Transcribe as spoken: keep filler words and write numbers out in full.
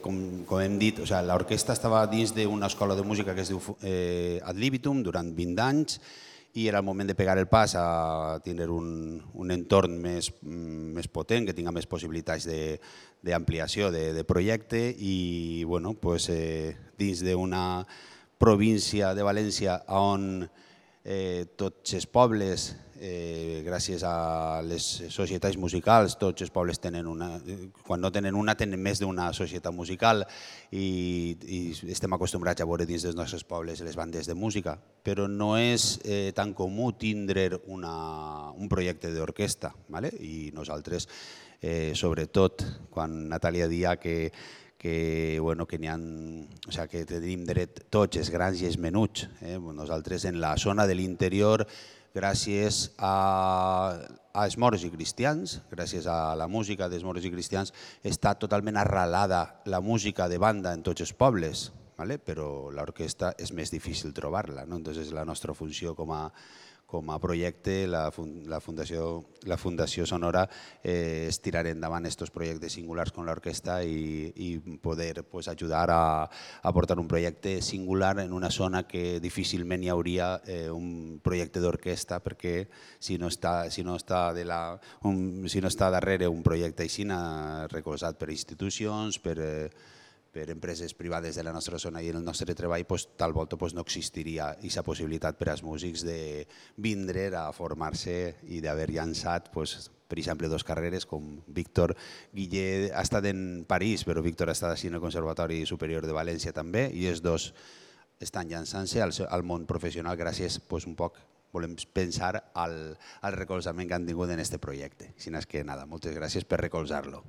com hem dit, l'orquestra estava dins d'una escola de música que es diu Ad Libitum durant vint anys i era el moment de pegar el pas a tenir un entorn més potent, que tinga més possibilitats d'ampliació de projecte i dins d'una província de València on tots els pobles, gràcies a les societats musicals, tots els pobles tenen una, quan no tenen una, tenen més d'una societat musical i estem acostumbrats a veure dins dels nostres pobles les bandes de música, però no és tan comú tindre un projecte d'orquestra i nosaltres, sobretot quan Natàlia dia que que tenim dret tots els grans i els menuts. Nosaltres en la zona de l'interior, gràcies als moros i cristians, gràcies a la música dels moros i cristians, està totalment arrelada la música de banda en tots els pobles, però l'orquestra és més difícil trobar-la. Llavors la nostra funció com a com a projecte, la Fundació Sonora és tirar endavant aquests projectes singulars com l'orquestra i poder ajudar a portar un projecte singular en una zona que difícilment hi hauria un projecte d'orquestra perquè si no està darrere un projecte així recolzat per institucions, per per empreses privades de la nostra zona i el nostre treball, tal volta no existiria aquesta possibilitat per als músics de vindre a formar-se i d'haver llançat, per exemple, dues carreres com Víctor Guillé ha estat en París, però Víctor ha estat així en el Conservatori Superior de València també i els dos estan llançant-se al món professional gràcies un poc, volem pensar, al recolzament que han tingut en aquest projecte. Així que, nada, moltes gràcies per recolzar-lo.